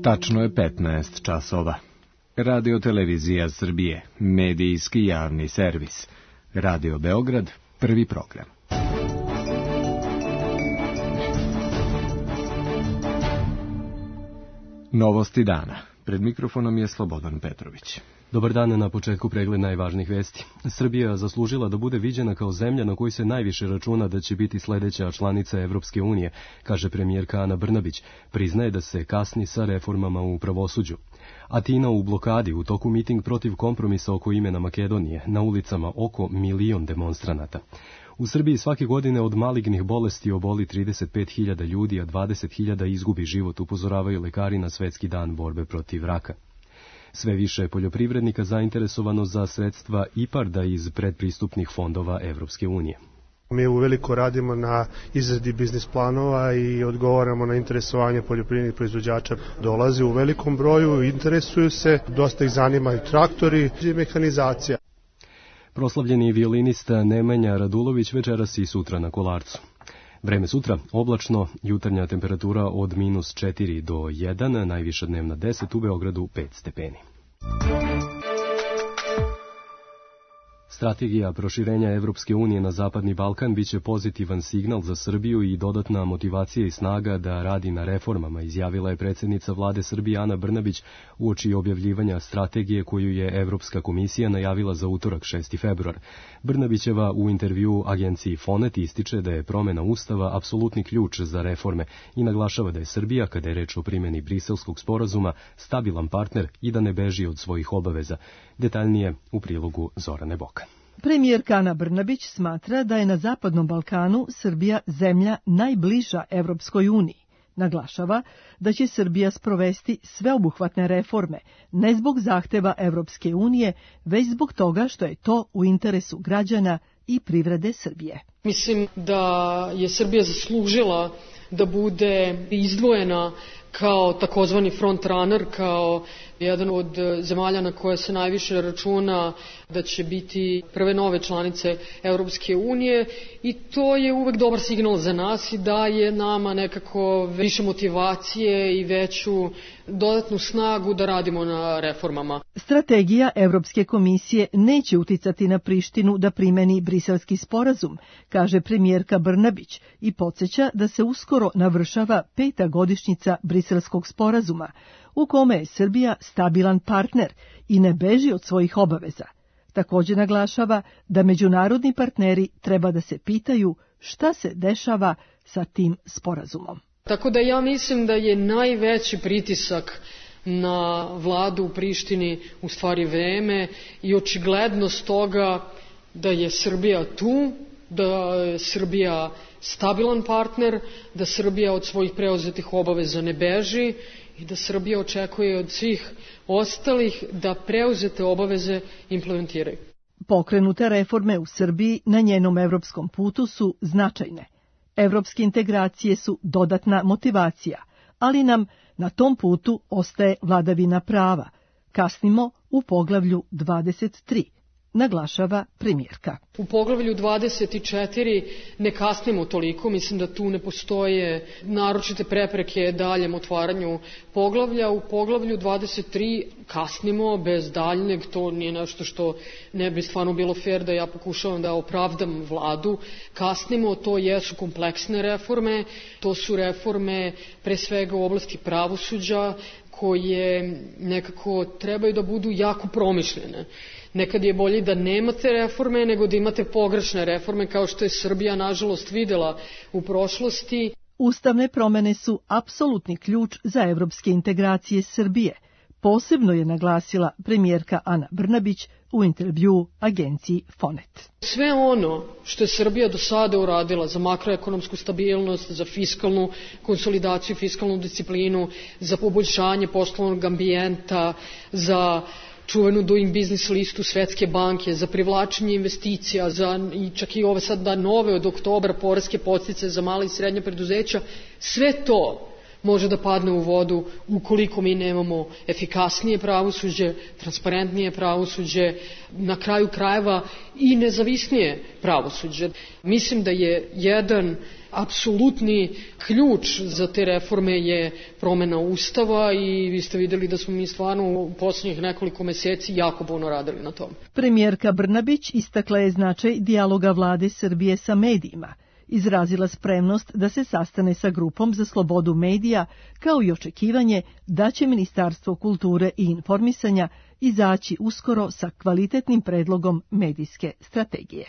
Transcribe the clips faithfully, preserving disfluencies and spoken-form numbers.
Tačno je petnaest časova. Radio Televizija Srbije, medijski javni servis. Radio Beograd, prvi program. Novosti dana. Pred mikrofonom je Slobodan Petrović. Dobar dan, na početku pregled najvažnijih vesti. Srbija zaslužila da bude viđena kao zemlja na kojoj se najviše računa da će biti sledeća članica Evropske unije, kaže premijerka Ana Brnabić. Priznaje da se kasni sa reformama u pravosuđu. Atina u blokadi, u toku miting protiv kompromisa oko imena Makedonije, na ulicama oko milion demonstranata. U Srbiji svake godine od malignih bolesti oboli trideset pet hiljada ljudi, a dvadeset hiljada izgubi život, upozoravaju lekari na Svetski dan borbe protiv raka. Sve više je poljoprivrednika zainteresovano za sredstva IPARD-a iz predpristupnih fondova Evropske unije. Mi uveliko radimo na izradi biznis planova i odgovaramo na interesovanje poljoprivrednih proizvođača. Dolaze u velikom broju, interesuju se, dosta ih zanima i traktori i mehanizacija. Proslavljeni violinista Nemanja Radulović večeras i sutra na Kolarcu. Vreme sutra, oblačno, jutarnja temperatura od minus četiri do jedan, najviša dnevna deset, u Beogradu pet stepeni. Strategija proširenja Evropske unije na Zapadni Balkan biće pozitivan signal za Srbiju i dodatna motivacija i snaga da radi na reformama, izjavila je predsjednica vlade Srbije Ana Brnabić uoči objavljivanja strategije koju je Evropska komisija najavila za utorak šesti februar. Brnabićeva u intervjuu agenciji Fonet ističe da je promjena Ustava apsolutni ključ za reforme i naglašava da je Srbija, kada je reč o primjeni Briselskog sporazuma, stabilan partner i da ne beži od svojih obaveza. Detaljnije u prilogu Zorane Boka. Premijerka Ana Brnabić smatra da je na Zapadnom Balkanu Srbija zemlja najbliža Evropskoj uniji. Naglašava da će Srbija sprovesti sveobuhvatne reforme, ne zbog zahteva Evropske unije, već zbog toga što je to u interesu građana i privrede Srbije. Mislim da je Srbija zaslužila da bude izdvojena kao takozvani front runner, kao jedan od zemalja na koje se najviše računa da će biti prve nove članice Evropske unije, i to je uvek dobar signal za nas i daje nama nekako više motivacije i veću dodatnu snagu da radimo na reformama. Strategija Evropske komisije neće uticati na Prištinu da primeni Briselski sporazum, kaže premijerka Brnabić, i podsjeća da se uskoro navršava peta godišnjica Briselskog sporazuma, u kome je Srbija stabilan partner i ne beži od svojih obaveza. Također naglašava da međunarodni partneri treba da se pitaju šta se dešava sa tim sporazumom. Tako da ja mislim da je najveći pritisak na vladu u Prištini u stvari vreme i očiglednost toga da je Srbija tu, da je Srbija stabilan partner, da Srbija od svojih preuzetih obaveza ne beži i da Srbija očekuje od svih ostalih da preuzete obaveze implementiraju. Pokrenute reforme u Srbiji na njenom evropskom putu su značajne. Evropske integracije su dodatna motivacija, ali nam na tom putu ostaje vladavina prava. Kasnimo u poglavlju dvadeset tri. Naglašava premijerka. U poglavlju dvadeset četiri ne kasnimo toliko, mislim da tu ne postoje naročite prepreke daljem otvaranju poglavlja. U poglavlju dvadeset tri kasnimo bez daljnjeg, to nije nešto što ne bi stvarno bilo fair da ja pokušavam da opravdam vladu. Kasnimo, to jesu kompleksne reforme, to su reforme pre svega u oblasti pravosuđa koje nekako trebaju da budu jako promišljene. Nekad je bolje da nemate reforme nego da imate pogrešne reforme, kao što je Srbija nažalost videla u prošlosti. Ustavne promene su apsolutni ključ za evropske integracije Srbije. Posebno je naglasila premijerka Ana Brnabić u intervjuu agenciji Fonet. Sve ono što je Srbija do sada uradila za makroekonomsku stabilnost, za fiskalnu konsolidaciju, fiskalnu disciplinu, za poboljšanje poslovnog ambijenta, za čuvenu Doing Business listu Svetske banke, za privlačenje investicija, za i čak i ove sad da nove od oktobra poreske podsticaje za mala i srednja preduzeća, sve to može da padne u vodu ukoliko mi nemamo efikasnije pravosuđe, transparentnije pravosuđe, na kraju krajeva i nezavisnije pravosuđe. Mislim da je jedan apsolutni ključ za te reforme je promena Ustava i vi ste videli da smo mi stvarno u poslednjih nekoliko meseci jako puno radili na tom. Premijerka Brnabić istakla je značaj dijaloga vlade Srbije sa medijima, izrazila spremnost da se sastane sa grupom za slobodu medija, kao i očekivanje da će Ministarstvo kulture i informisanja izaći uskoro sa kvalitetnim predlogom medijske strategije.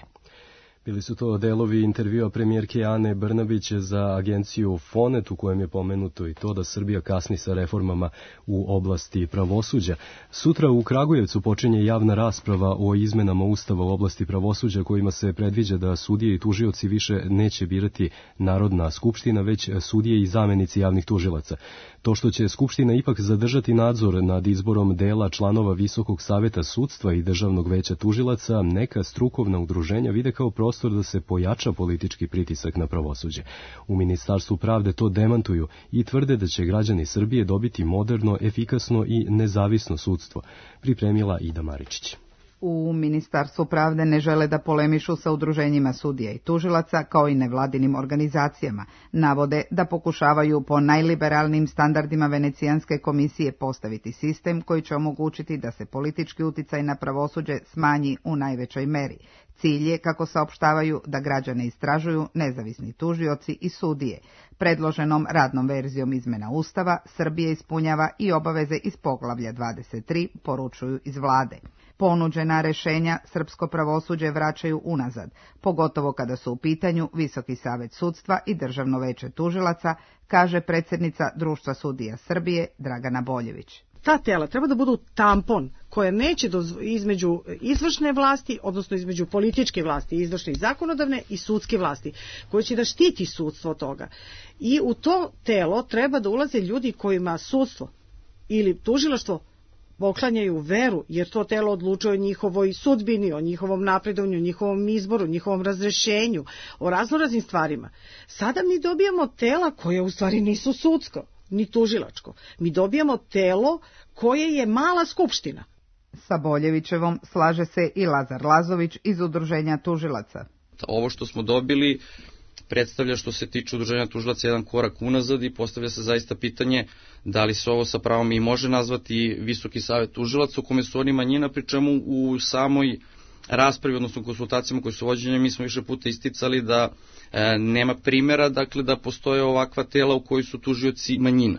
Bili su to delovi intervjua premijerke Ane Brnabić za agenciju Fonet, u kojem je pomenuto i to da Srbija kasni sa reformama u oblasti pravosuđa. Sutra u Kragujevcu počinje javna rasprava o izmenama Ustava u oblasti pravosuđa, kojima se predviđa da sudije i tužioci više neće birati Narodna skupština, već sudije i zamenici javnih tužilaca. To što će Skupština ipak zadržati nadzor nad izborom dela članova Visokog saveta sudstva i Državnog veća tužilaca, neka strukovna udruženja vide kao prostor da se pojača politički pritisak na pravosuđe. U Ministarstvu pravde to demantuju i tvrde da će građani Srbije dobiti moderno, efikasno i nezavisno sudstvo, pripremila Ida Maričić. U Ministarstvu pravde ne žele da polemišu sa udruženjima sudija i tužilaca, kao i nevladinim organizacijama. Navode da pokušavaju po najliberalnim standardima Venecijanske komisije postaviti sistem koji će omogućiti da se politički uticaj na pravosuđe smanji u najvećoj meri. Cilj je, kako saopštavaju, da građane istražuju nezavisni tužioci i sudije. Predloženom radnom verzijom izmena Ustava Srbija ispunjava i obaveze iz poglavlja dvadeset tri, poručuju iz vlade. Ponuđena rešenja srpsko pravosuđe vraćaju unazad, pogotovo kada su u pitanju Visoki savet sudstva i Državno veće tužilaca, kaže predsjednica Društva sudija Srbije Dragana Boljević. Ta tela treba da budu tampon koje neće dozvo, između izvršne vlasti, odnosno između političke vlasti, izvršne i zakonodavne i sudske vlasti, koje će da štiti sudstvo od toga. I u to telo treba da ulaze ljudi kojima sudstvo ili tužilaštvo poklanjaju veru, jer to telo odlučuje o njihovoj sudbini, o njihovom napredovanju, o njihovom izboru, o njihovom razrešenju, o raznoraznim stvarima. Sada mi dobijamo tela koje u stvari nisu sudsko, ni tužilačko. Mi dobijamo telo koje je mala skupština. Sa Boljevićevom slaže se i Lazar Lazović iz Udruženja tužilaca. Ovo što smo dobili predstavlja, što se tiče Udruženja tužilaca, jedan korak unazad i postavlja se zaista pitanje da li se ovo sa pravom i može nazvati Visoki savet tužilaca, u kome su oni manjina, pri čemu u samoj raspravi, odnosno konsultacijama koje su vođenje, mi smo više puta isticali da e, nema primjera, dakle, da postoje ovakva tela u kojoj su tužioci manjina.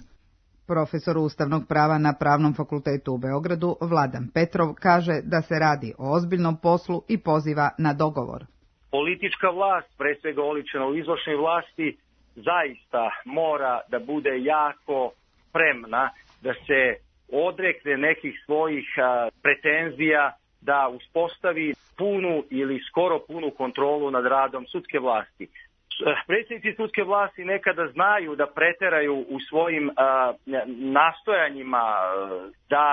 Profesor ustavnog prava na Pravnom fakultetu u Beogradu, Vladan Petrov, kaže da se radi o ozbiljnom poslu i poziva na dogovor. Politička vlast, pre svega oličena u izvršnoj vlasti, zaista mora da bude jako spremna da se odrekne nekih svojih a, pretenzija, da uspostavi punu ili skoro punu kontrolu nad radom sudske vlasti. Predsjednici sudske vlasti nekada znaju da preteraju u svojim a, nastojanjima da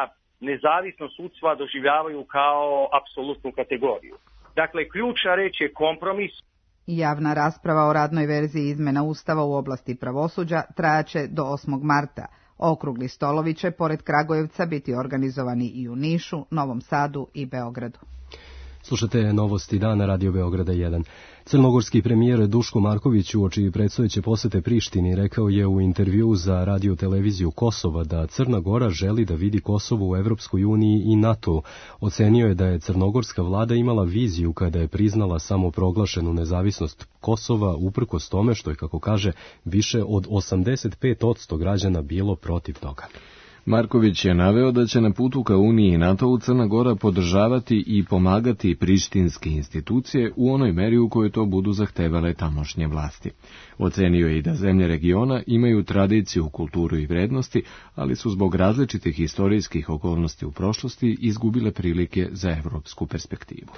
nezavisno sudstva doživljavaju kao apsolutnu kategoriju. Dakle, ključna reč je kompromis. Javna rasprava o radnoj verziji izmena Ustava u oblasti pravosuđa trajaće do osmog marta. Okrugli stolovi će, pored Kragujevca, biti organizovani i u Nišu, Novom Sadu i Beogradu. Slušate Novosti dana Radio Beograda jedan. Crnogorski premijer Duško Marković uoči predstojeće posete Prištini rekao je u intervju za radio televiziju Kosova da Crna Gora želi da vidi Kosovo u Evropskoj uniji i NATO. Ocenio je da je crnogorska vlada imala viziju kada je priznala samoproglašenu nezavisnost Kosova, uprkos tome što je, kako kaže, više od osamdeset pet posto građana bilo protiv toga. Marković je naveo da će na putu ka Uniji i NATO-u Crna Gora podržavati i pomagati prištinske institucije u onoj meri u kojoj to budu zahtevale tamošnje vlasti. Ocenio je i da zemlje regiona imaju tradiciju, kulturu i vrednosti, ali su zbog različitih historijskih okolnosti u prošlosti izgubile prilike za evropsku perspektivu.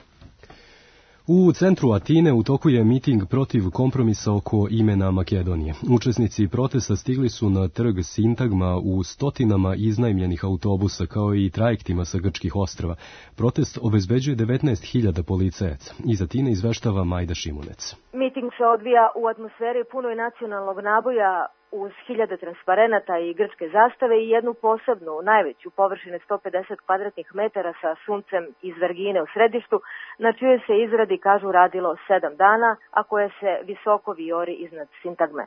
U centru Atine u toku je miting protiv kompromisa oko imena Makedonije. Učesnici protesta stigli su na trg Sintagma u stotinama iznajmljenih autobusa, kao i trajektima sa grčkih ostrava. Protest obezbeđuje devetnaest hiljada policajaca. Iz Atine izveštava Majda Šimunec. Miting se odvija u atmosferi punoj nacionalnog naboja, uz hiljade transparenata i grčke zastave i jednu posebnu, najveću, površine sto pedeset kvadratnih metara sa suncem iz Vergine u središtu, na čijoj se izradi, kažu, radilo sedam dana, a koje se visoko vijori iznad sintagme.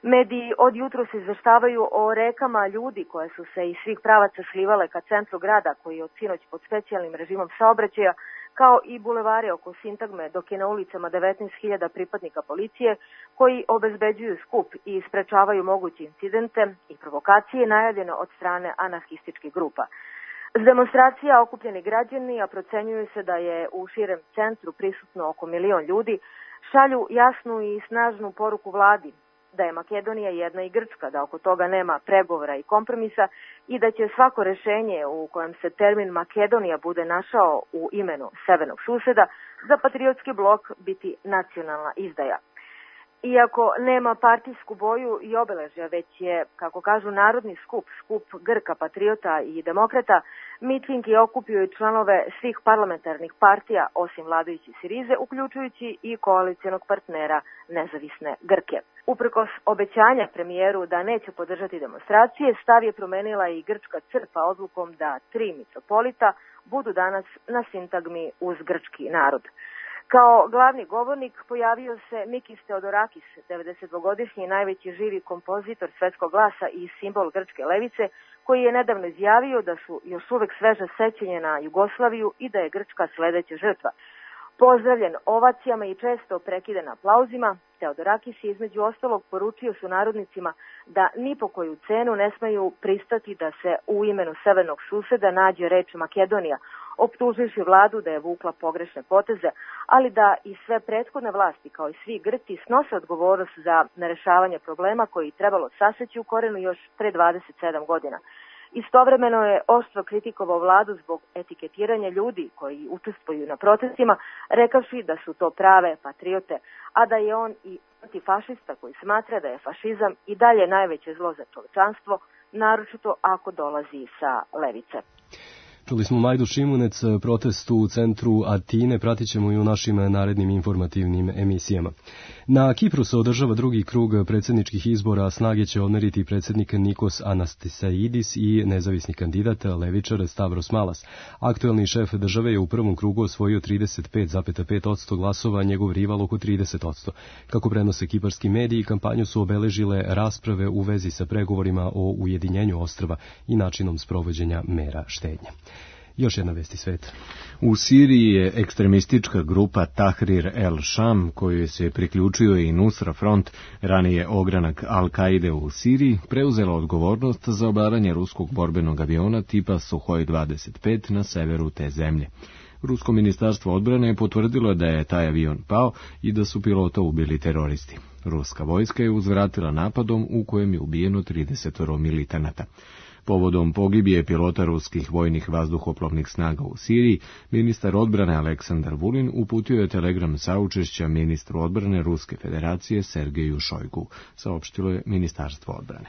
Mediji od jutros izveštavaju o rekama ljudi koje su se iz svih pravaca slivale ka centru grada, koji je od sinoć pod specijalnim režimom saobraćaja, kao i bulevari oko sintagme, dok je na ulicama devetnaest hiljada pripadnika policije koji obezbeđuju skup i sprečavaju moguće incidente i provokacije najavljeno od strane anarhističkih grupa. S demonstracija okupljeni građani, a procenjuju se da je u širem centru prisutno oko milion ljudi, šalju jasnu i snažnu poruku vladi da je Makedonija jedna i Grčka, da oko toga nema pregovora i kompromisa i da će svako rešenje u kojem se termin Makedonija bude našao u imenu severnog suseda za patriotski blok biti nacionalna izdaja. Iako nema partijsku boju i obeležja, već je, kako kažu, narodni skup, skup Grka, patriota i demokrata, miting je okupio i članove svih parlamentarnih partija, osim vladajuće Sirize, uključujući i koalicijonog partnera nezavisne Grke. Uprkos obećanja premijeru da neće podržati demonstracije, stav je promenila i grčka crkva odlukom da tri mitropolita budu danas na sintagmi uz grčki narod. Kao glavni govornik pojavio se Mikis Theodorakis, devedesetdvogodišnji najveći živi kompozitor svetskog glasa i simbol grčke levice, koji je nedavno izjavio da su još uvek sveže sećanje na Jugoslaviju i da je Grčka sledeća žrtva. Pozdravljen ovacijama i često prekiden aplauzima, Theodorakis je između ostalog poručio sunarodnicima da ni po koju cenu ne smeju pristati da se u imenu severnog suseda nađe reč Makedonija, optuživši vladu da je vukla pogrešne poteze, ali da i sve prethodne vlasti, kao i svi Grci, snose odgovornost za nerešavanje problema koji trebalo saseći u korenu još pre dvadeset sedam godina. Istovremeno je oštro kritikovao vladu zbog etiketiranja ljudi koji učestvuju na protestima, rekavši da su to prave patriote, a da je on i antifašista koji smatra da je fašizam i dalje najveće zlo za čovečanstvo, naročito ako dolazi sa levice. Čuli smo Majdu Šimunec, protest u centru Atine, pratit ćemo i u našim narednim informativnim emisijama. Na Kipru se održava drugi krug predsjedničkih izbora, snage će odmeriti predsjednik Nikos Anastasaidis i nezavisni kandidat levičar Stavros Malas. Aktuelni šef države je u prvom krugu osvojio trideset pet zarez pet posto glasova, njegov rival oko trideset posto. Kako prenose kiparski mediji, kampanju su obeležile rasprave u vezi sa pregovorima o ujedinjenju ostrva i načinom sprovođenja mera štednje. Još jedna vest iz sveta. U Siriji je ekstremistička grupa Tahrir el-Sham, kojoj se priključio i Nusra Front, ranije ogranak Al-Kaide u Siriji, preuzela odgovornost za obaranje ruskog borbenog aviona tipa Suhoj dvadeset pet na severu te zemlje. Rusko ministarstvo odbrane je potvrdilo da je taj avion pao i da su pilota ubili teroristi. Ruska vojska je uzvratila napadom u kojem je ubijeno trideset militanata. Povodom pogibije pilota ruskih vojnih vazduhoplovnih snaga u Siriji, ministar odbrane Aleksandar Vulin uputio je telegram saučešća ministru odbrane Ruske federacije Sergeju Šojgu, saopštilo je Ministarstvo odbrane.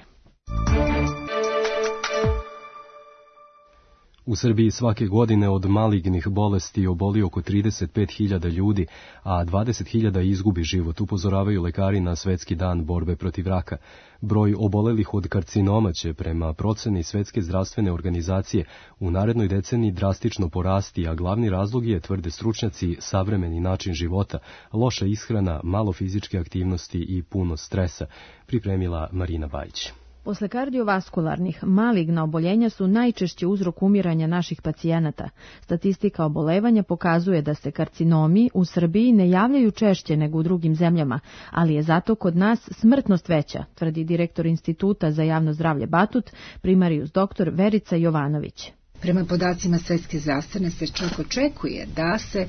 U Srbiji svake godine od malignih bolesti oboli oko trideset pet hiljada ljudi, a dvadeset hiljada izgubi život, upozoravaju lekari na Svetski dan borbe protiv raka. Broj obolelih od karcinoma će, prema proceni Svetske zdravstvene organizacije, u narednoj deceniji drastično porasti, a glavni razlog je, tvrde stručnjaci, savremeni način života, loša ishrana, malo fizičke aktivnosti i puno stresa, pripremila Marina Bajić. Posle kardiovaskularnih, maligna oboljenja su najčešće uzrok umiranja naših pacijenata. Statistika obolevanja pokazuje da se karcinomi u Srbiji ne javljaju češće nego u drugim zemljama, ali je zato kod nas smrtnost veća, tvrdi direktor Instituta za javno zdravlje Batut, primarijus doktor Verica Jovanović. Prema podacima Svetske zdravstvene se čak očekuje da se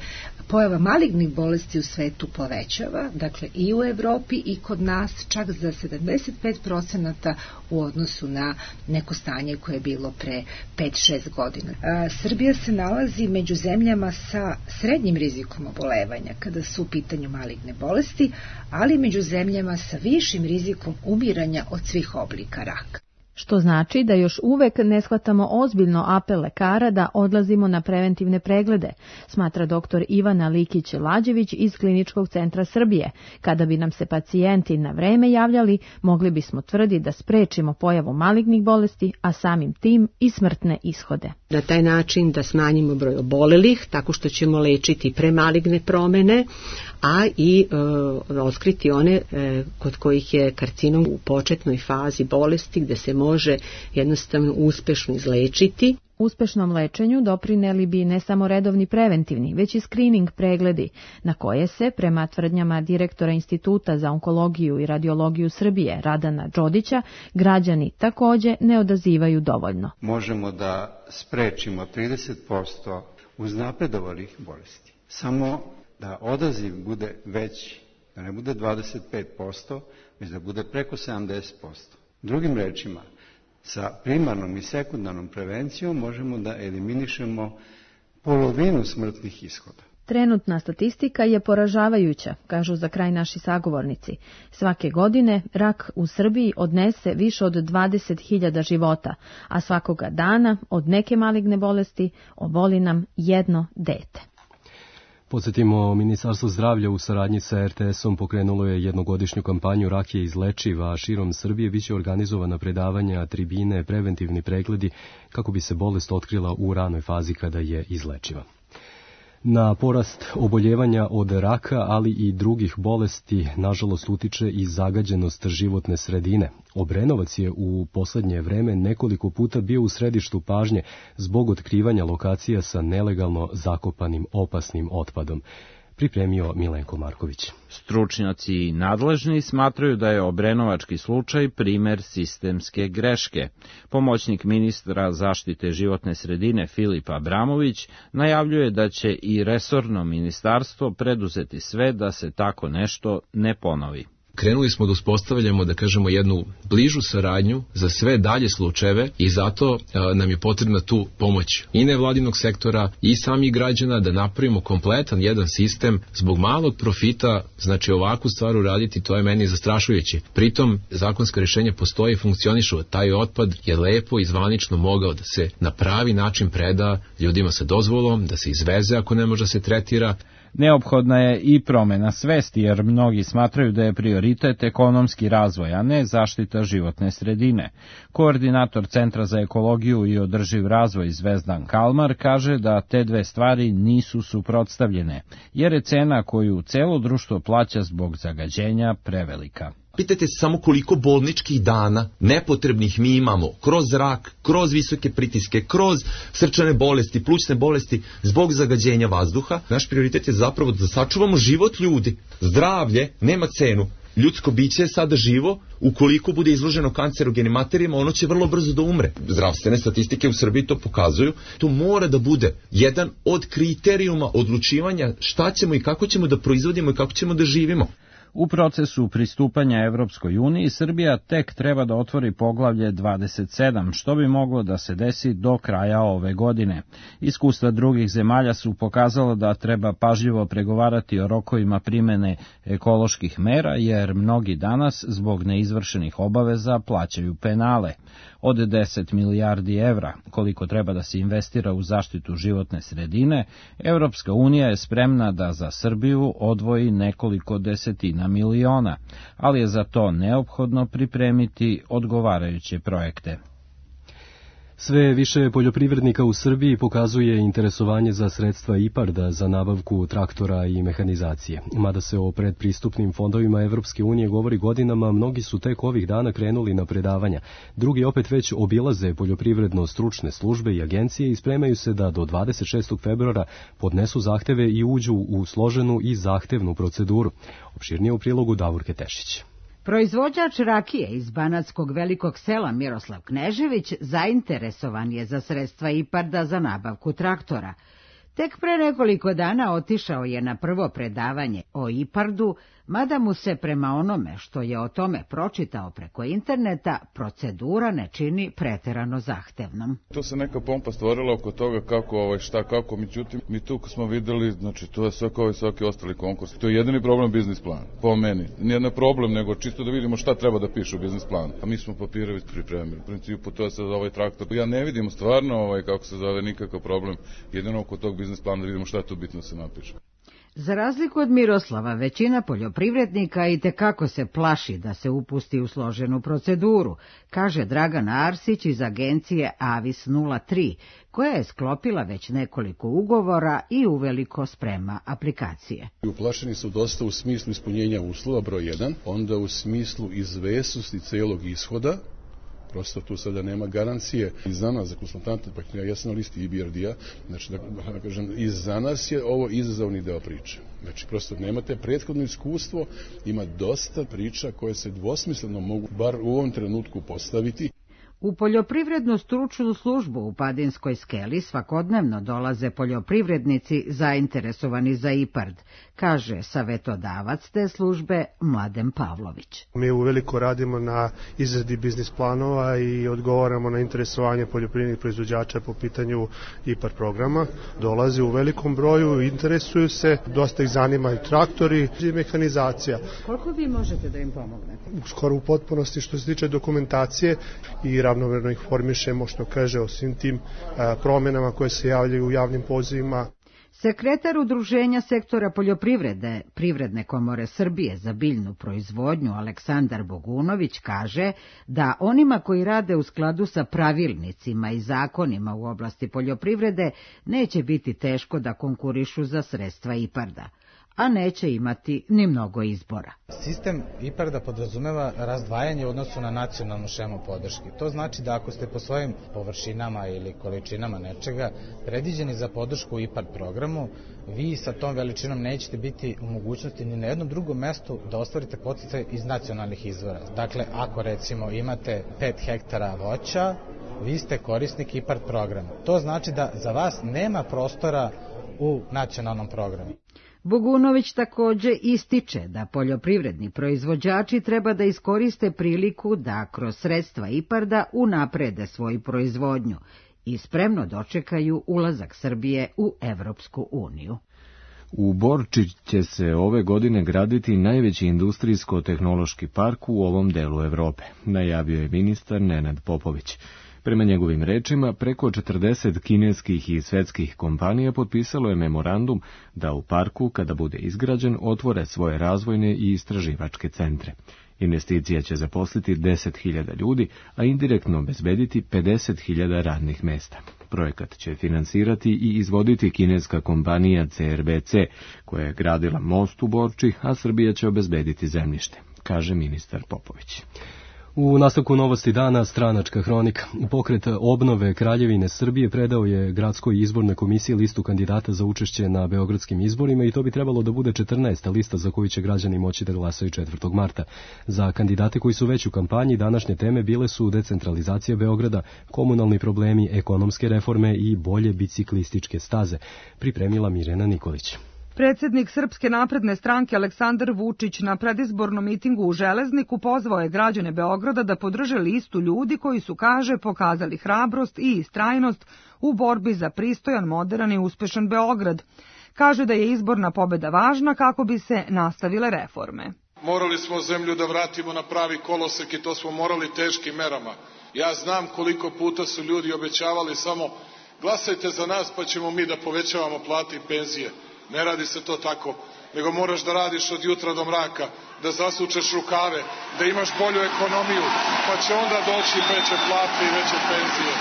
pojava malignih bolesti u svetu povećava, dakle i u Evropi i kod nas čak za sedamdeset pet procenata u odnosu na neko stanje koje je bilo pre pet šest godina. A, Srbija se nalazi među zemljama sa srednjim rizikom obolevanja kada su u pitanju maligne bolesti, ali među zemljama sa višim rizikom umiranja od svih oblika raka. što znači da još uvek ne shvatamo ozbiljno apel lekara da odlazimo na preventivne preglede, smatra doktor Ivana Likić-Lađević iz Kliničkog centra Srbije. Kada bi nam se pacijenti na vreme javljali, mogli bismo tvrditi da sprečimo pojavu malignih bolesti, a samim tim i smrtne ishode. Na taj način da smanjimo broj obolelih, tako što ćemo lečiti premaligne promene, a i e, otkriti one e, kod kojih je karcinom u početnoj fazi bolesti gde se može jednostavno uspešno izlečiti. Uspešnom lečenju doprineli bi ne samo redovni preventivni, već i screening pregledi, na koje se, prema tvrdnjama direktora Instituta za onkologiju i radiologiju Srbije, Radana Đodića, građani takođe ne odazivaju dovoljno. Možemo da sprečimo trideset posto uznapredovalih bolesti. Samo da odaziv bude veći, da ne bude dvadeset pet posto, već da bude preko sedamdeset posto. Drugim rečima, sa primarnom i sekundarnom prevencijom možemo da eliminišemo polovinu smrtnih ishoda. Trenutna statistika je poražavajuća, kažu za kraj naši sagovornici. Svake godine rak u Srbiji odnese više od dvadeset hiljada života, a svakoga dana od neke maligne bolesti oboli nam jedno dete. Podsjetimo, Ministarstvo zdravlja u saradnji sa er te esom pokrenulo je jednogodišnju kampanju Rak je izlečiv, a širom Srbije biće organizovana predavanja, tribine, preventivni pregledi kako bi se bolest otkrila u ranoj fazi kada je izlečiva. Na porast oboljevanja od raka, ali i drugih bolesti, nažalost utiče i zagađenost životne sredine. Obrenovac je u poslednje vreme nekoliko puta bio u središtu pažnje zbog otkrivanja lokacija sa nelegalno zakopanim opasnim otpadom. Pripremio Milenko Marković. Stručnjaci nadležni smatraju da je obrenovački slučaj primer sistemske greške. Pomoćnik ministra zaštite životne sredine Filip Abramović najavljuje da će i resorno ministarstvo preduzeti sve da se tako nešto ne ponovi. Krenuli smo da uspostavljamo, da kažemo, jednu bližu saradnju za sve dalje slučajeve i zato a, nam je potrebna tu pomoć i nevladinog sektora i samih građana da napravimo kompletan jedan sistem. Zbog malog profita, znači ovakvu stvar uraditi, to je meni zastrašujuće. Pritom, zakonska rješenja postoje i funkcionišu. Taj otpad je lepo i zvanično mogao da se na pravi način preda ljudima sa dozvolom, da se izveze ako ne može da se tretira. Neophodna je i promena svesti, jer mnogi smatraju da je prioritet ekonomski razvoj, a ne zaštita životne sredine. Koordinator Centra za ekologiju i održiv razvoj Zvezdan Kalmar kaže da te dve stvari nisu suprotstavljene, jer je cena koju celo društvo plaća zbog zagađenja prevelika. Pitajte se samo koliko bolničkih dana nepotrebnih mi imamo kroz zrak, kroz visoke pritiske, kroz srčane bolesti, plućne bolesti zbog zagađenja vazduha. Naš prioritet je zapravo da sačuvamo život ljudi. Zdravlje nema cenu. Ljudsko biće je sada živo, ukoliko bude izloženo kancerogenim materijama, ono će vrlo brzo da umre. Zdravstvene statistike u Srbiji to pokazuju. To mora da bude jedan od kriterijuma odlučivanja šta ćemo i kako ćemo da proizvodimo i kako ćemo da živimo. U procesu pristupanja Evropskoj uniji Srbija tek treba da otvori poglavlje dvadeset sedam, što bi moglo da se desi do kraja ove godine. Iskustva drugih zemalja su pokazala da treba pažljivo pregovarati o rokovima primene ekoloških mera, jer mnogi danas zbog neizvršenih obaveza plaćaju penale. Od deset milijardi evra, koliko treba da se investira u zaštitu životne sredine, Evropska unija je spremna da za Srbiju odvoji nekoliko desetina miliona, ali je za to neophodno pripremiti odgovarajuće projekte. Sve više poljoprivrednika u Srbiji pokazuje interesovanje za sredstva IPARD-a za nabavku traktora i mehanizacije. Mada se o predpristupnim fondovima Evropske unije govori godinama, mnogi su tek ovih dana krenuli na predavanja. Drugi opet već obilaze poljoprivredno-stručne službe i agencije i spremaju se da do dvadeset šestog februara podnesu zahteve i uđu u složenu i zahtevnu proceduru. Opširnije u prilogu Davorke Tešić. Proizvođač rakije iz banatskog velikog sela Miroslav Knežević zainteresovan je za sredstva IPARD-a za nabavku traktora. Tek pre nekoliko dana otišao je na prvo predavanje o IPARD-u mada mu se prema onome što je o tome pročitao preko interneta, procedura ne čini preterano zahtevnom. To se neka pompa stvorila oko toga kako, ovaj, šta, kako, međutim, mi tu smo videli, znači to je sve kao i svaki ostali konkurs. To je jedini problem biznis plan, po meni. Nije na problem, nego čisto da vidimo šta treba da piše u biznis planu. A mi smo papire već pripremili. U principu to je sad ovaj traktor. Ja ne vidim stvarno, ovaj, kako se zove, nikakav problem. Jedino oko tog biznis plana da vidimo šta je tu bitno se napiše. Za razliku od Miroslava, većina poljoprivrednika i tekako se plaši da se upusti u složenu proceduru, kaže Dragan Arsić iz agencije Avis nula tri, koja je sklopila već nekoliko ugovora i uveliko sprema aplikacije. Uplašeni su dosta u smislu ispunjenja uslova, broj jedan, onda u smislu izvesnosti celog ishoda, prosto tu sada nema garancije i za nas, za konsultante, pa ja sam na listi I B R D-a, znači da, da kažem, i za nas je ovo izazovni deo priče. Znači prosto nemate prethodno iskustvo, ima dosta priča koje se dvosmisleno mogu, bar u ovom trenutku, postaviti. U poljoprivrednu stručnu službu u Padinskoj skeli svakodnevno dolaze poljoprivrednici zainteresovani za IPARD, kaže savetodavac te službe Mladen Pavlović. Mi uveliko radimo na izradi biznis planova i odgovaramo na interesovanje poljoprivrednih proizvođača po pitanju IPARD programa. Dolazi u velikom broju, interesuju se, dosta ih zanima i traktori i mehanizacija. Koliko vi možete da im pomognete? Skoro u potpunosti što se tiče dokumentacije i ravnomerno ih formišemo, što kaže, o svim tim a, promjenama koje se javljaju u javnim pozivima. Sekretar Udruženja sektora poljoprivrede Privredne komore Srbije za biljnu proizvodnju Aleksandar Bogunović kaže da onima koji rade u skladu sa pravilnicima i zakonima u oblasti poljoprivrede neće biti teško da konkurišu za sredstva IPARD-a, a neće imati ni mnogo izbora. Sistem IPARD-a podrazumeva razdvajanje u odnosu na nacionalnu šemu podrške. To znači da ako ste po svojim površinama ili količinama nečega predviđeni za podršku u IPARD programu, vi sa tom veličinom nećete biti u mogućnosti ni na jednom drugom mestu da ostvarite podsticaj iz nacionalnih izvora. Dakle, ako recimo imate pet hektara voća, vi ste korisnik IPARD programa. To znači da za vas nema prostora u nacionalnom programu. Bogunović takođe ističe da poljoprivredni proizvođači treba da iskoriste priliku da kroz sredstva IPARD-a unaprede svoju proizvodnju i spremno dočekaju ulazak Srbije u Evropsku uniju. U Borči će se ove godine graditi najveći industrijsko-tehnološki park u ovom delu Evrope, najavio je ministar Nenad Popović. Prema njegovim rečima, preko četrdeset kineskih i svetskih kompanija potpisalo je memorandum da u parku, kada bude izgrađen, otvore svoje razvojne i istraživačke centre. Investicija će zaposliti deset hiljada ljudi, a indirektno obezbediti pedeset hiljada radnih mesta. Projekat će finansirati i izvoditi kineska kompanija C R B C, koja je gradila most u Borči, a Srbija će obezbediti zemljište, kaže ministar Popović. U nastavku novosti dana stranačka hronika. Pokret obnove Kraljevine Srbije predao je gradskoj izbornoj komisiji listu kandidata za učešće na beogradskim izborima i to bi trebalo da bude četrnaesta lista za koju će građani moći da glasaju četvrtog marta. Za kandidate koji su već u kampanji današnje teme bile su decentralizacija Beograda, komunalni problemi, ekonomske reforme i bolje biciklističke staze, pripremila Mirjana Nikolić. Predsednik Srpske napredne stranke Aleksandar Vučić na predizbornom mitingu u Železniku pozvao je građane Beograda da podrže listu ljudi koji su, kaže, pokazali hrabrost i istrajnost u borbi za pristojan, moderan i uspešan Beograd. Kaže da je izborna pobeda važna kako bi se nastavile reforme. Morali smo zemlju da vratimo na pravi kolosek i to smo morali teškim merama. Ja znam koliko puta su ljudi obećavali samo glasajte za nas pa ćemo mi da povećavamo plate i penzije. Ne radi se to tako, nego moraš da radiš od jutra do mraka, da zasučeš rukave, da imaš bolju ekonomiju, pa će onda doći veće plate i veće penzije.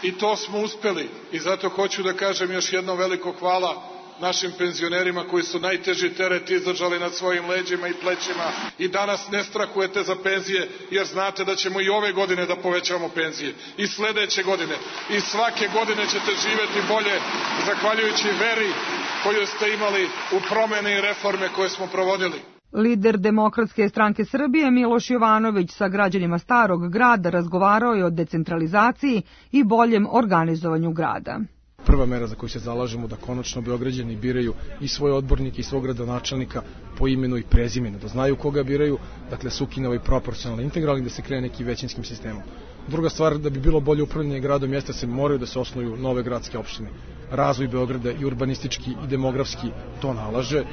I to smo uspeli i zato hoću da kažem još jedno veliko hvala našim penzionerima koji su najteži teret izdržali nad svojim leđima i plećima i danas ne strahujete za penzije jer znate da ćemo i ove godine da povećamo penzije i sledeće godine i svake godine ćete živeti bolje zahvaljujući veri koju ste imali u promene i reforme koje smo provodili. Lider Demokratske stranke Srbije Miloš Jovanović sa građanima Starog grada razgovarao je o decentralizaciji i boljem organizovanju grada. prva mera za koju se zalažemo, da konačno Beograđani biraju i svoje odbornike i svog gradonačelnika po imenu i prezimenu, da znaju koga biraju, dakle se ukine ovaj proporcionalni integralni, da se krene neki većinskim sistemom. Druga stvar, da bi bilo bolje upravljanje gradom, jeste se moraju da se osnuju nove gradske opštine. Razvoj Beograda i urbanistički i demografski to nalaže.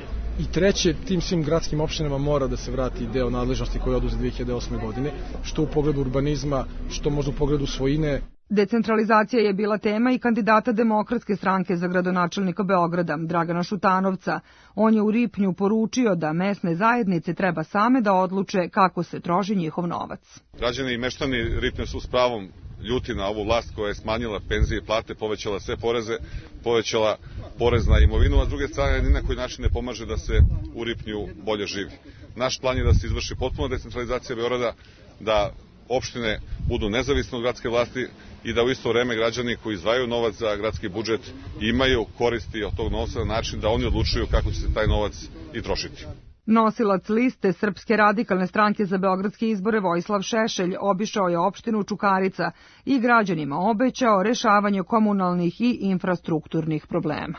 I treće, tim svim gradskim opštinama mora da se vrati deo nadležnosti koje je oduzet dve hiljade osme. godine, što u pogledu urbanizma, što možda u pogledu svojine. Decentralizacija je bila tema i kandidata Demokratske stranke za gradonačelnika Beograda, Dragana Šutanovca. On je u Ripnju poručio da mesne zajednice treba same da odluče kako se troši njihov novac. Građani i meštani Ripnja su s pravom ljuti na ovu vlast koja je smanjila penzije i plate, povećala sve poreze, povećala porez na imovinu, a s druge strane ni na koji način ne pomaže da se u Ripnju bolje živi. Naš plan je da se izvrši potpuna decentralizacija Beograda, da opštine budu nezavisne od gradske vlasti i da u isto vreme građani koji izdvajaju novac za gradski budžet imaju koristi od tog novca na način da oni odlučuju kako će se taj novac i trošiti. Nosilac liste Srpske radikalne stranke za beogradske izbore Vojislav Šešelj obišao je opštinu Čukarica i građanima obećao rešavanje komunalnih i infrastrukturnih problema.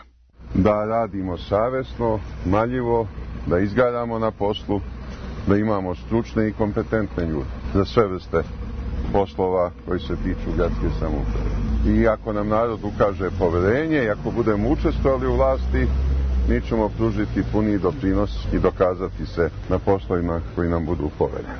Da radimo savesno, marljivo, da izgaramo na poslu, da imamo stručne i kompetentne ljude za sve vrste poslova koji se tiču gradske samouprave. I ako nam narod ukaže poverenje i ako budemo učestvovali u vlasti, mi ćemo pružiti puni doprinos i dokazati se na poslovima koji nam budu povereni.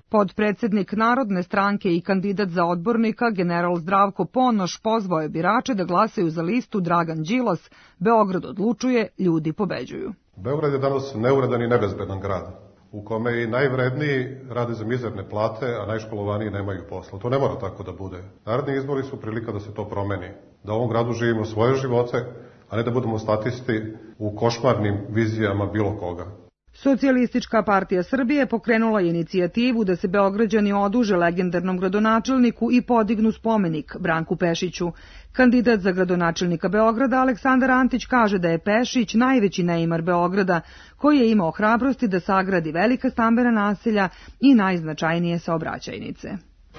Podpredsednik Narodne stranke i kandidat za odbornika, general Zdravko Ponoš, pozvao je birače da glasaju za listu Dragan Đilas, Beograd odlučuje, ljudi pobeđuju. Beograd je danas neuredan i nebezbedan grad, u kome i najvredniji rade za mizerne plate, a najškolovaniji nemaju posla. To ne mora tako da bude. Naredni izbori su prilika da se to promeni, da u ovom gradu živimo svoje živote, a ne da budemo statisti u košmarnim vizijama bilo koga. Socijalistička partija Srbije pokrenula je inicijativu da se Beograđani oduže legendarnom gradonačelniku i podignu spomenik Branku Pešiću. Kandidat za gradonačelnika Beograda Aleksandar Antić kaže da je Pešić najveći neimar Beograda, koji je imao hrabrosti da sagradi velika stambena naselja i najznačajnije saobraćajnice.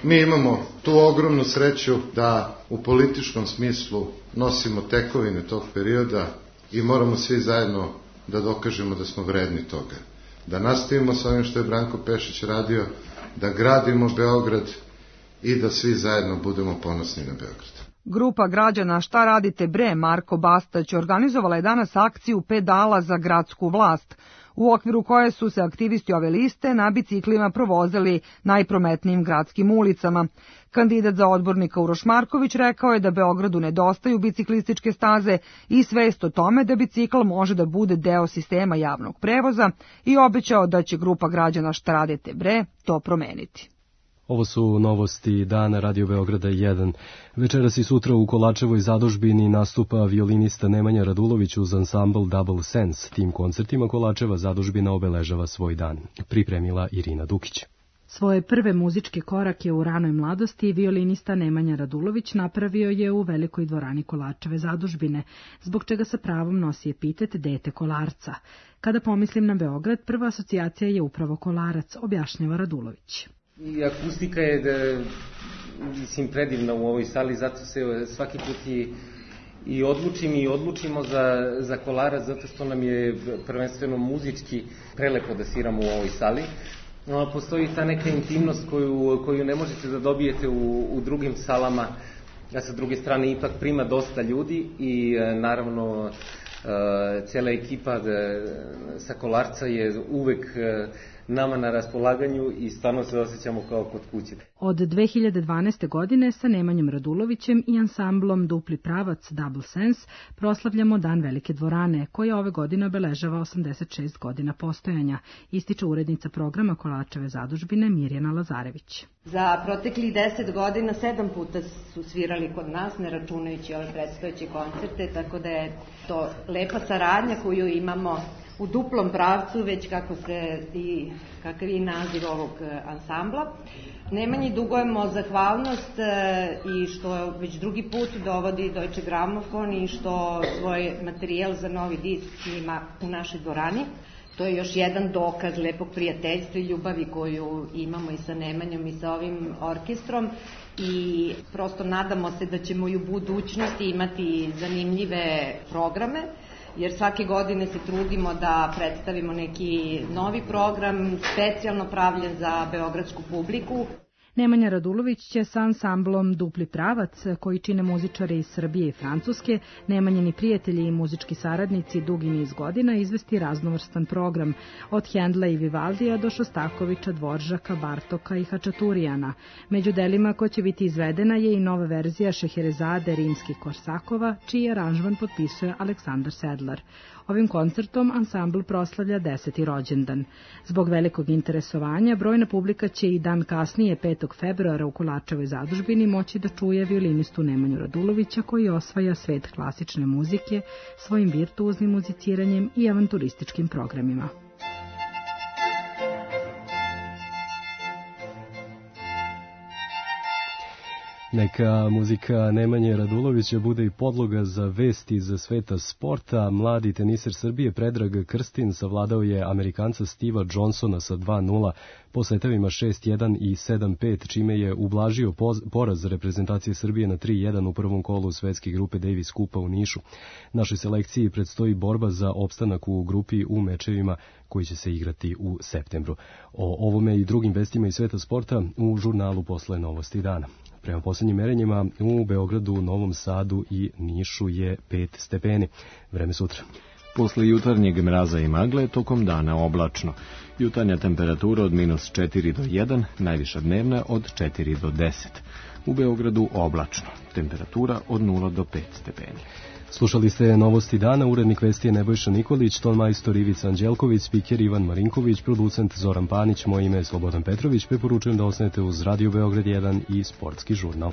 Mi imamo tu ogromnu sreću da u političkom smislu nosimo tekovine tog perioda i moramo svi zajedno da dokažemo da smo vredni toga. Da nastavimo sa ovim što je Branko Pešić radio, da gradimo Beograd i da svi zajedno budemo ponosni na Beograd. Grupa građana Šta radite bre Marko Bastać organizovala je danas akciju pedala za gradsku vlast, u okviru koje su se aktivisti ove liste na biciklima provozili najprometnijim gradskim ulicama. Kandidat za odbornika Uroš Marković rekao je da Beogradu nedostaju biciklističke staze i svest o tome da bicikl može da bude deo sistema javnog prevoza i obećao da će grupa građana Šta radite bre to promeniti. Ovo su novosti dana Radio Beograda jedan. Večeras i sutra u Kolačevoj zadužbini nastupa violinista Nemanja Radulović uz ansambl Double Sense. Tim koncertima Kolačeva zadužbina obeležava svoj dan. Pripremila Irina Dukić. Svoje prve muzičke korake u ranoj mladosti violinista Nemanja Radulović napravio je u velikoj dvorani Kolačeve zadužbine, zbog čega sa pravom nosi epitet dete Kolarca. Kada pomislim na Beograd, prva asocijacija je upravo Kolarac, objašnjava Radulović. I akustika je da, mislim, predivna u ovoj sali, zato se svaki put i, i odlučim i odlučimo za, za Kolarac, zato što nam je prvenstveno muzički prelepo da sviramo u ovoj sali. No, postoji ta neka intimnost koju, koju ne možete da dobijete u, u drugim salama, a sa druge strane ipak prima dosta ljudi i naravno cela ekipa sa Kolarca je uvek nama na raspolaganju i stvarno se osjećamo kao kod kuće. Od dve hiljade dvanaeste. godine sa Nemanjom Radulovićem i ansamblom Dupli pravac Double Sense proslavljamo Dan Velike dvorane, koja ove godine obeležava osamdeset šest godina postojanja, ističe urednica programa Kolačeve zadužbine Mirjana Lazarević. Za proteklih deset godina sedam puta su svirali kod nas, ne računajući ove predstojeće koncerte, tako da je to lepa saradnja koju imamo u duplom pravcu, već kako se i kakav je naziv ovog ansambla. Nemanji dugujemo zahvalnost i što već drugi put dovodi Deutsche Grammophon i što svoj materijal za novi disk ima u našoj dvorani. To je još jedan dokaz lepog prijateljstva i ljubavi koju imamo i sa Nemanjom i sa ovim orkestrom i prosto nadamo se da ćemo i u budućnosti imati zanimljive programe, jer svake godine se trudimo da predstavimo neki novi program, specijalno pravljen za beogradsku publiku. Nemanja Radulović će sa ansamblom Dupli pravac, koji čine muzičari iz Srbije i Francuske, Nemanjini prijatelji i muzički saradnici dugi niz godina izvesti raznovrstan program, od Hendla i Vivaldija do Šostakovića, Dvoržaka, Bartoka i Hačaturijana. Među delima ko će biti izvedena je i nova verzija Šeherezade rimskih Korsakova, čiji aranžman potpisuje Aleksandar Sedlar. Ovim koncertom ansambl proslavlja deseti rođendan. Zbog velikog interesovanja, brojna publika će i dan kasnije, petog februara, u Kolarčevoj zadužbini moći da čuje violinistu Nemanju Radulovića, koji osvaja svet klasične muzike svojim virtuoznim muziciranjem i avanturističkim programima. Neka muzika Nemanje Radulovića bude i podloga za vesti iz sveta sporta. Mladi teniser Srbije Predrag Krstin savladao je Amerikanca Steva Johnsona sa dva nula po setevima šest jedan i sedam pet, čime je ublažio poraz reprezentacije Srbije na tri jedan u prvom kolu svetske grupe Davis Kupa u Nišu. Našoj selekciji predstoji borba za opstanak u grupi u mečevima koji će se igrati u septembru. O ovome i drugim vestima iz sveta sporta u žurnalu Posle novosti dana. Prema posljednjim merenjima u Beogradu, Novom Sadu i Nišu je pet stepeni. Vreme sutra. Posle jutarnjeg mraza i magle, tokom dana oblačno. Jutarnja temperatura od minus četiri do jedan, najviša dnevna od četiri do deset. U Beogradu oblačno. Temperatura od nula do pet stepeni. Slušali ste novosti dana, urednik vesti je Nebojša Nikolić, ton majstor Ivica Anđelković, spiker Ivan Marinković, producent Zoran Panić, moje ime je Slobodan Petrović, preporučujem da ostanete uz Radio Beograd jedan i Sportski žurnal.